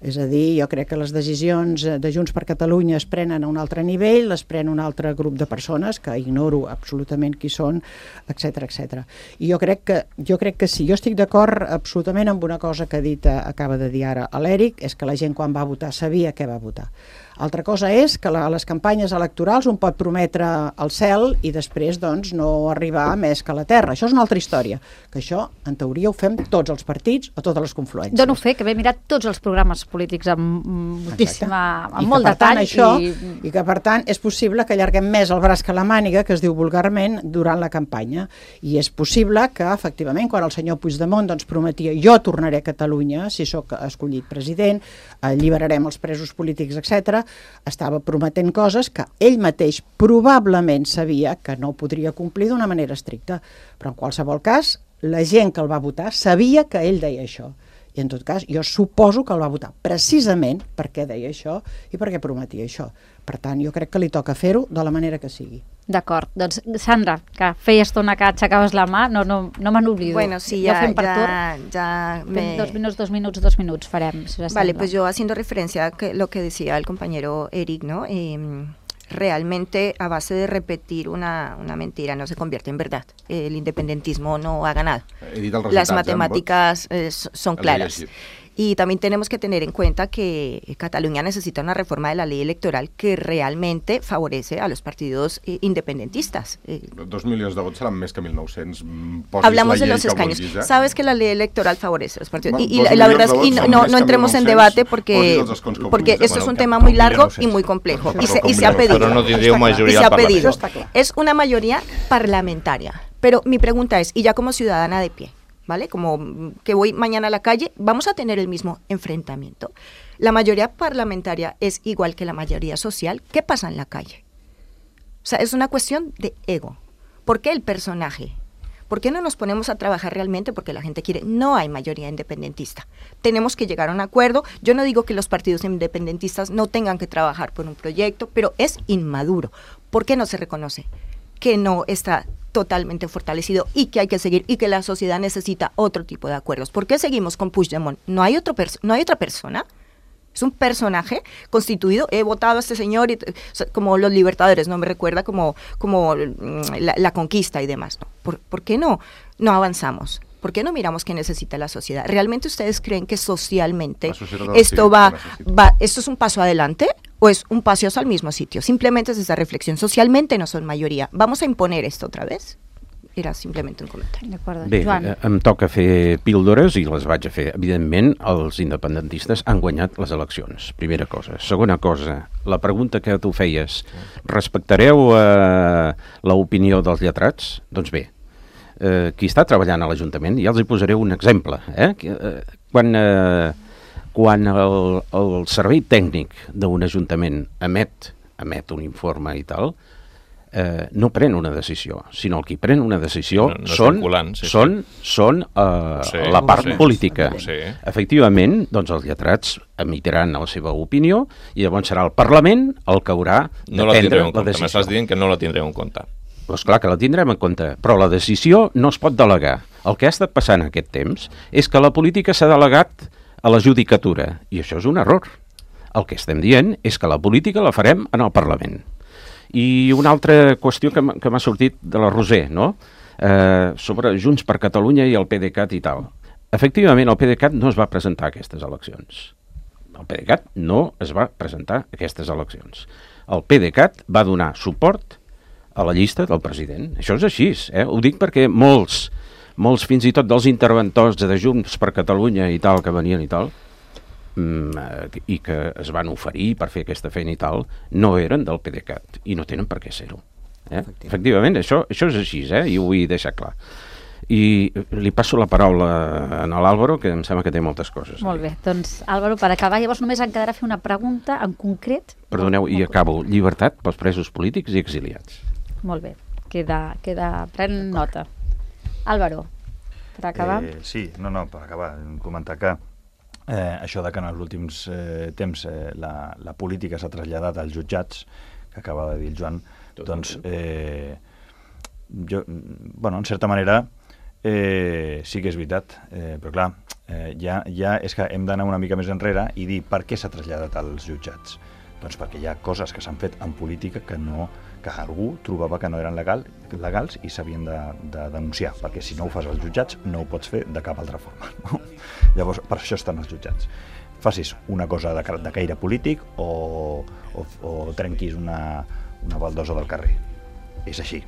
És a dir, jo crec que les decisions de Junts per Catalunya es prenen a un altre nivell, les pren un altre grup de persones, que ignoro absolutament qui són, etcètera, etcètera. I jo crec que, jo crec que sí, jo estic d'acord absolutament amb una cosa que ha dit, acaba de dir ara l'Eric, és que la gent quan va votar sabia què va votar. Altra cosa és que a les campanyes electorals un pot prometre el cel i després doncs, no arribar més que a la terra. Això és una altra història, que això en teoria ho fem tots els partits o totes les confluències. Dono fe que m'he mirat tots els programes polítics amb moltíssima, amb I molt que, per tant, detall. Això, i... I que per tant és possible que allarguem més el braç que la màniga, que es diu vulgarment, durant la campanya. I és possible que efectivament quan el senyor Puigdemont doncs, prometia jo tornaré a Catalunya si sóc escollit president, alliberarem els presos polítics, etcètera, estava prometent coses que ell mateix probablement sabia que no podria complir d'una manera estricta, però en qualsevol cas la gent que el va votar sabia que ell deia això, i en tot cas jo suposo que el va votar precisament perquè deia això i perquè prometia això. Per tant, jo crec que li toca fer-ho de la manera que sigui. D'acord. Doncs, Sandra, que feia estona que aixecaves la mà, no, no, no me n'oblido. Bueno, sí, ya, ja, ya, ya me... Dos minuts, dos minuts, dos minuts farem. Si vale, pues yo haciendo referencia a que lo que decía el compañero Eric, ¿no? Eh, realmente a base de repetir una, una mentira no se convierte en verdad. El independentismo no ha ganado. Las matemáticas eh, son claras. Y también tenemos que tener en cuenta que Cataluña necesita una reforma de la ley electoral que realmente favorece a los partidos eh, independentistas. Eh, Dos milions de vots seran més que mil nou-cents. Hablamos de los escaños. Vulguis, eh? Sabes que la ley electoral favorece a los partidos. Bueno, y, y la, la verdad es que no, no, no entremos en debate porque, porque esto es un tema muy largo y muy complejo. Y se, y se ha pedido. Pero no tendría mayoría y se ha pedido. Es una mayoría parlamentaria. Pero mi pregunta es, y ya como ciudadana de pie, ¿vale? Como que voy mañana a la calle, vamos a tener el mismo enfrentamiento. La mayoría parlamentaria es igual que la mayoría social. ¿Qué pasa en la calle? O sea, es una cuestión de ego. ¿Por qué el personaje? ¿Por qué no nos ponemos a trabajar realmente? Porque la gente quiere. No hay mayoría independentista. Tenemos que llegar a un acuerdo. Yo no digo que los partidos independentistas no tengan que trabajar por un proyecto, pero es inmaduro. ¿Por qué no se reconoce que no está totalmente fortalecido y que hay que seguir y que la sociedad necesita otro tipo de acuerdos? ¿Por qué seguimos con Puigdemont? ¿No hay, otro perso- ¿no hay otra persona? Es un personaje constituido. He votado a este señor, y, o sea, como los libertadores, ¿no? Me recuerda como, como la, la conquista y demás, ¿no? ¿Por, ¿Por qué no, no avanzamos? ¿Por qué no miramos qué necesita la sociedad? ¿Realmente ustedes creen que socialmente esto va, va, esto es un paso adelante o es un paso al mismo sitio? Simplemente es esa reflexión. Socialmente no son mayoría. ¿Vamos a imponer esto otra vez? Era simplement un comentari. Bé, Joan. Em toca fer píldores i les vaig a fer. Evidentment, els independentistes han guanyat les eleccions, primera cosa. Segona cosa, la pregunta que tu feies, respectareu eh, l'opinió dels lletrats? Doncs bé, eh, qui està treballant a l'Ajuntament, ja els hi posaré un exemple. Eh? Quan, eh, quan el, el servei tècnic d'un ajuntament emet, emet un informe i tal, Eh, no pren una decisió, sinó el qui pren una decisió no, no són, sí, són, sí. són eh, sí, la part sí, política. Sí. Efectivament, doncs els lletrats emitiran la seva opinió i llavors serà el Parlament el que haurà de no la prendre la compte. decisió. M'estàs dient que no la tindreu en compte. Doncs clar que la tindrem en compte, però la decisió no es pot delegar. El que ha estat passant aquest temps és que la política s'ha delegat a la judicatura, i això és un error. El que estem dient és que la política la farem en el Parlament. I una altra qüestió que m'ha sortit de la Roser, no? Eh, sobre Junts per Catalunya i el PDeCAT i tal. Efectivament, el PDeCAT no es va presentar a aquestes eleccions. El PDeCAT no es va presentar a aquestes eleccions. El PDeCAT va donar suport a la llista del president. Això és així, eh? Ho dic perquè molts, molts fins i tot dels interventors de Junts per Catalunya i tal, que venien i tal, i que es van oferir per fer aquesta feina i tal, no eren del PDeCAT i no tenen per què ser-ho. Eh? Efectivament, Efectivament això, això és així, eh? I ho vull deixar clar. I li passo la paraula a l'Àlvaro, que em sembla que té moltes coses. Molt bé, doncs Àlvaro, per acabar, llavors només em quedarà fer una pregunta en concret. Perdoneu, i acabo. Llibertat pels presos polítics i exiliats. Molt bé, queda, queda pren nota. Àlvaro, per acabar. Eh, sí, no, no, per acabar, comentar que Eh, això de que en els últims eh, temps eh, la, la política s'ha traslladat als jutjats, que acaba de dir el Joan, Tot doncs, eh, jo, bueno, en certa manera, eh, sí que és veritat, eh, però clar, eh, ja, ja és que hem d'anar una mica més enrere i dir per què s'ha traslladat als jutjats. Doncs perquè hi ha coses que s'han fet en política que no que algú trobava que no eren legal, legals i s'havien de, de denunciar, perquè si no ho fas als jutjats no ho pots fer de cap altra forma. No? Llavors, per això estan els jutjats. Facis una cosa de, de caire polític o, o, o trenquis una, una baldosa del carrer. És així.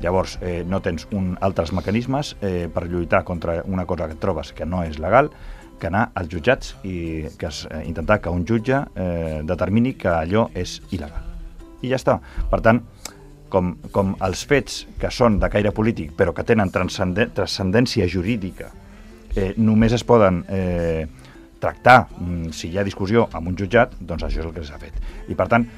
Llavors, eh, no tens un, altres mecanismes eh, per lluitar contra una cosa que et trobes que no és legal, que anar als jutjats i que es, eh, intentar que un jutge eh, determini que allò és il·legal. I ja està. Per tant, com, com els fets que són de caire polític però que tenen transcendència jurídica eh, només es poden eh, tractar mm, si hi ha discussió amb un jutjat, doncs això és el que s'ha fet. I per tant,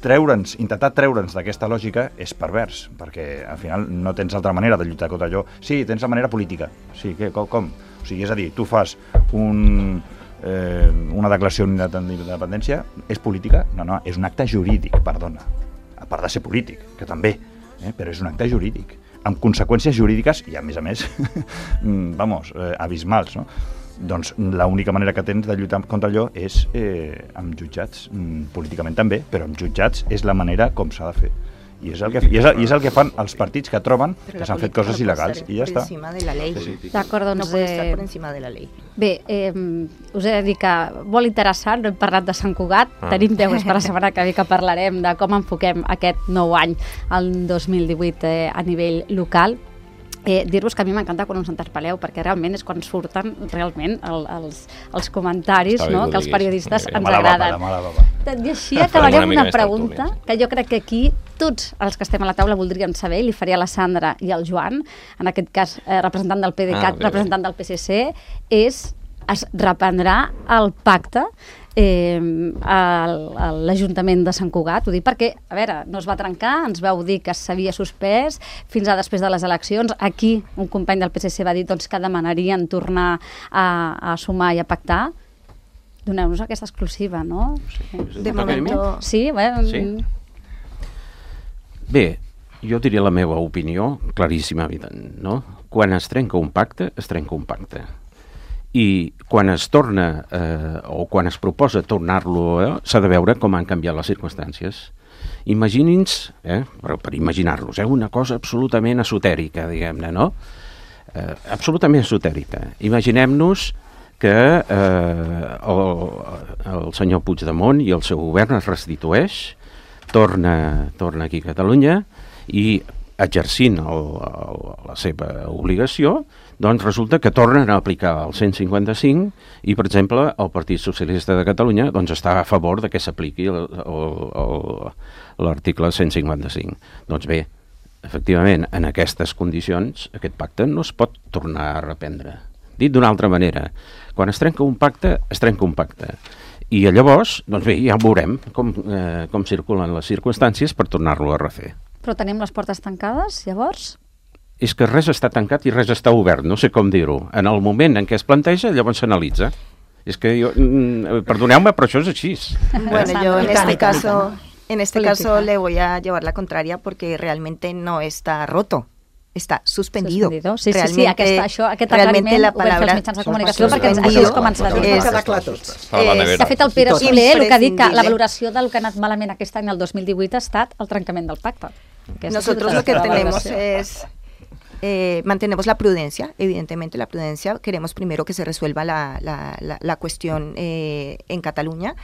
treure'ns, intentar treure'ns d'aquesta lògica és pervers, perquè al final no tens altra manera de lluitar contra allò. Sí, tens la manera política. Sí, què, com, com? O sigui, és a dir, tu fas un, eh, una declaració d'independència, és política? No, no, és un acte jurídic, perdona. A part de ser polític, que també, eh, però és un acte jurídic, amb conseqüències jurídiques i, a més a més, vamos, eh, abismals, no? Doncs l'única manera que tens de lluitar contra allò és eh, amb jutjats, mm, políticament també, però amb jutjats és la manera com s'ha de fer. I és, el que, i, és el, I és el que fan els partits que troben però que s'han fet coses no il·legals i ja està. De la ley. D'acord, doncs... No pot estar per encima de la llei. Bé, eh, us he de dir que molt interessant, no hem parlat de Sant Cugat, ah. tenim temes per la setmana que ve que parlarem de com enfoquem aquest nou any, el dos mil divuit, eh, a nivell local. Eh, dir-vos que a mi m'encanta quan us interpel·leu, perquè realment és quan surten realment el, els, els comentaris, no? Que els periodistes ens agraden. Tot i així acabarem amb una pregunta que jo crec que aquí tots els que estem a la taula voldríem saber, i li faria a la Sandra i al Joan, en aquest cas eh, representant del PDeCAT, ah, representant del P S C, és es reprendrà el pacte eh, a l'Ajuntament de Sant Cugat. Ho dic perquè, a veure, no es va trencar, ens vau dir que s'havia suspès fins a després de les eleccions. Aquí un company del P S C va dir doncs, que demanarien tornar a, a sumar i a pactar. Doneu-nos aquesta exclusiva, no? Sí, de moment. Sí, bé. Sí. Bé, jo diria la meva opinió, claríssima, no? Quan es trenca un pacte, es trenca un pacte. I quan es torna, eh, o quan es proposa tornar-lo, eh, s'ha de veure com han canviat les circumstàncies. Imagini'ns, eh, per, per imaginar-los, eh, una cosa absolutament esotèrica, diguem-ne, no? Eh, absolutament esotèrica. Imaginem-nos que eh, el, el senyor Puigdemont i el seu govern es restitueix, torna, torna aquí a Catalunya i exercint el, el, la seva obligació, doncs resulta que tornen a aplicar el cent cinquanta-cinc i, per exemple, el Partit Socialista de Catalunya doncs, està a favor de que s'apliqui l'article cent cinquanta-cinc. Doncs bé, efectivament, en aquestes condicions, aquest pacte no es pot tornar a reprendre. Dit d'una altra manera, quan es trenca un pacte, es trenca un pacte. I llavors, doncs bé, ja veurem com, eh, com circulen les circumstàncies per tornar-lo a refer. Però tenim les portes tancades, llavors? És que res està tancat i res està obert, no sé com dir-ho. En el moment en què es planteja, llavors s'analitza. És que jo, perdoneu-me, però això és així. Bueno, yo en este caso, en este caso le voy a llevar la contraria porque realmente no está roto. Està suspendido. suspendido. Sí, sí, sí, aquesta, això, aquest aclariment ho vam fer els mitjans de comunicació perquè això és com ens va dir. De fet, el Pere Soler el que ha dit que la valoració del que ha anat malament aquest any, el dos mil divuit, ha estat el trencament del pacte. Nosotros lo que tenemos es... Eh, mantenemos la prudencia, evidentemente la prudencia, queremos primero que se resuelva la, la, la, la cuestión eh, en Cataluña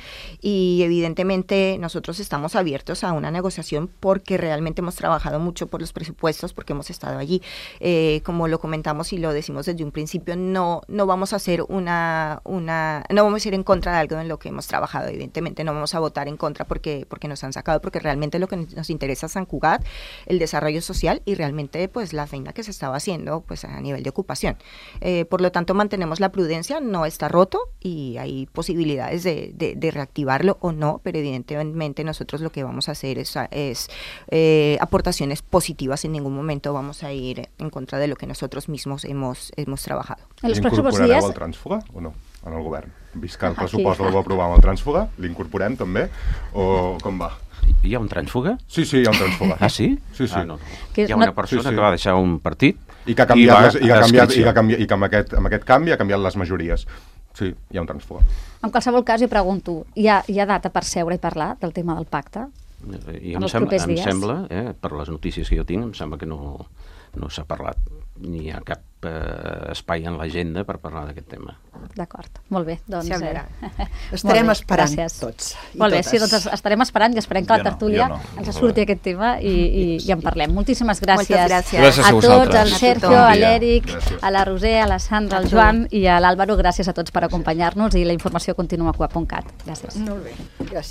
y evidentemente nosotros estamos abiertos a una negociación porque realmente hemos trabajado mucho por los presupuestos, porque hemos estado allí, eh, como lo comentamos y lo decimos desde un principio, no, no vamos a hacer una, una, no vamos a ir en contra de algo en lo que hemos trabajado, evidentemente no vamos a votar en contra porque, porque nos han sacado, porque realmente lo que nos interesa es Sant Cugat, el desarrollo social y realmente pues la feina que se estaba haciendo pues a nivel de ocupación. Eh, por lo tanto, mantenemos la prudencia, no está roto y hay posibilidades de, de, de reactivarlo o no, pero evidentemente nosotros lo que vamos a hacer es, es eh, aportaciones positivas, en ningún momento vamos a ir en contra de lo que nosotros mismos hemos, hemos trabajado. Incorporareu el trànsfuga o no en el govern? Vist que el pressupost el va aprovar amb el trànsfuga, l'incorporem també o com va? Hi ha un trànsfuga? Sí, sí, hi ha un trànsfuga. Ah, sí? Sí, sí. Ah, no. Hi ha una persona sí, sí. que va deixar un partit I que ha canviat, les, i que ha canviat, i que, canvi, i que amb, aquest, amb aquest canvi ha canviat les majories. Sí, hi ha un transfuga. En qualsevol cas, jo pregunto, hi ha, hi ha data per seure i parlar del tema del pacte? I em, sem em sembla, eh, per les notícies que jo tinc, em sembla que no, no s'ha parlat, ni hi ha cap eh, espai en l'agenda per parlar d'aquest tema. D'acord, molt bé. Doncs, sí, eh, estarem esperant gràcies. tots. Molt bé, sí, doncs estarem esperant i esperem que jo la tertúlia no, no. ens surti aquest tema i, i, i en parlem. Moltíssimes gràcies, gràcies. gràcies a, a tots, al Sergio, bon a l'Eric, a la Roser, a la Sandra, A al tu. Joan i a l'Àlvaro. Gràcies a tots per acompanyar-nos i la informació continua a cua punt cat. Gràcies. Molt bé, gràcies.